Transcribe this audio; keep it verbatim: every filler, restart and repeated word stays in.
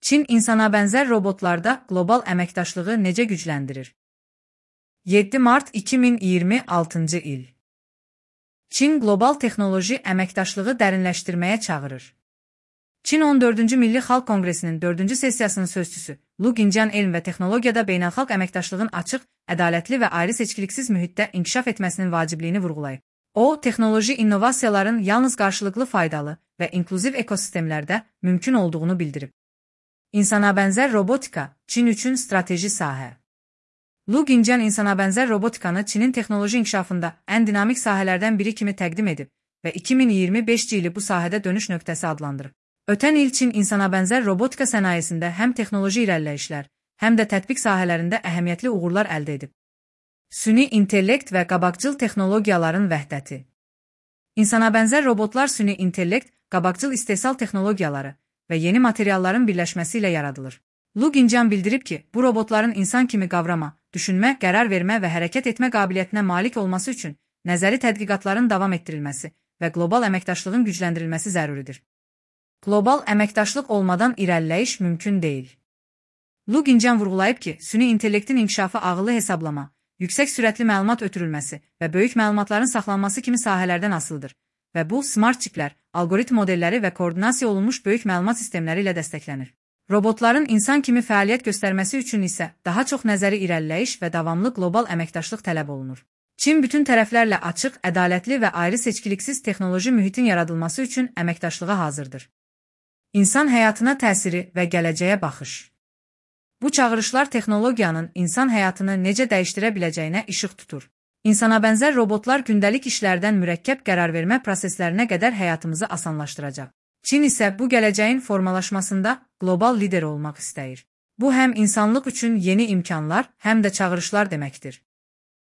Çin insana bənzər robotlarda qlobal əməkdaşlığı necə gücləndirir? yeddi mart iki min iyirmi altıncı il. Çin qlobal texnoloji əməkdaşlığı dərinləşdirməyə çağırır. Çin on dördüncü Milli Xalq Konqresinin dördüncü sessiyasının sözçüsü Lu Qincyan elm və texnologiyada beynəlxalq əməkdaşlığın açıq, ədalətli və ayrı-seçkiliksiz mühitdə inkişaf etməsinin vacibliyini vurğulayıb. O, texnoloji innovasiyaların yalnız qarşılıqlı faydalı və inklüziv ekosistemlərdə mümkün olduğunu bildirib. İnsanabənzər robotika Çin üçün strateji sahə. Lu Qincyan insanabənzər robotikanı Çinin texnoloji inkişafında ən dinamik sahələrdən biri kimi təqdim edib və iki min iyirmi beşinci ili bu sahədə dönüş nöqtəsi adlandırıb. Ötən il Çin insanabənzər robotika sənayesində həm texnoloji irəliləyişlər, həm də tətbiq sahələrində əhəmiyyətli uğurlar əldə edib. Süni intellekt və qabaqcıl texnologiyaların vəhdəti. İnsanabənzər robotlar süni intellekt, qabaqcıl istehsal texnologiyaları və yeni materialların birləşməsi ilə yaradılır. Lu Qincyan bildirib ki, bu robotların insan kimi qavrama, düşünmə, qərar vermə və hərəkət etmə qabiliyyətinə malik olması üçün nəzəri tədqiqatların davam etdirilməsi və qlobal əməkdaşlığın gücləndirilməsi zəruridir. Qlobal əməkdaşlıq olmadan irəliləyiş mümkün deyil. Lu Qincyan vurğulayıb ki, süni intellektin inkişafı ağıllı hesablama, yüksək sürətli məlumat ötürülməsi və böyük məlumatların saxlanması kimi sahələrdən asılıdır və bu, smart çiplər, algoritm modelləri və koordinasiya olunmuş böyük məlumat sistemləri ilə dəstəklənir. Robotların insan kimi fəaliyyət göstərməsi üçün isə daha çox nəzəri irəliləyiş və davamlı qlobal əməkdaşlıq tələb olunur. Çin bütün tərəflərlə açıq, ədalətli və ayrı-seçkiliksiz texnoloji mühitin yaradılması üçün əməkdaşlığa hazırdır. İnsan həyatına təsiri və gələcəyə baxış. Bu çağırışlar texnologiyanın insan həyatını necə dəyişdirə biləcəyinə işıq tutur. İnsanabənzər robotlar gündəlik işlərdən mürəkkəb qərarvermə proseslərinə qədər həyatımızı asanlaşdıracaq. Çin isə bu gələcəyin formalaşmasında qlobal lider olmaq istəyir. Bu həm insanlıq üçün yeni imkanlar, həm də çağırışlar deməkdir.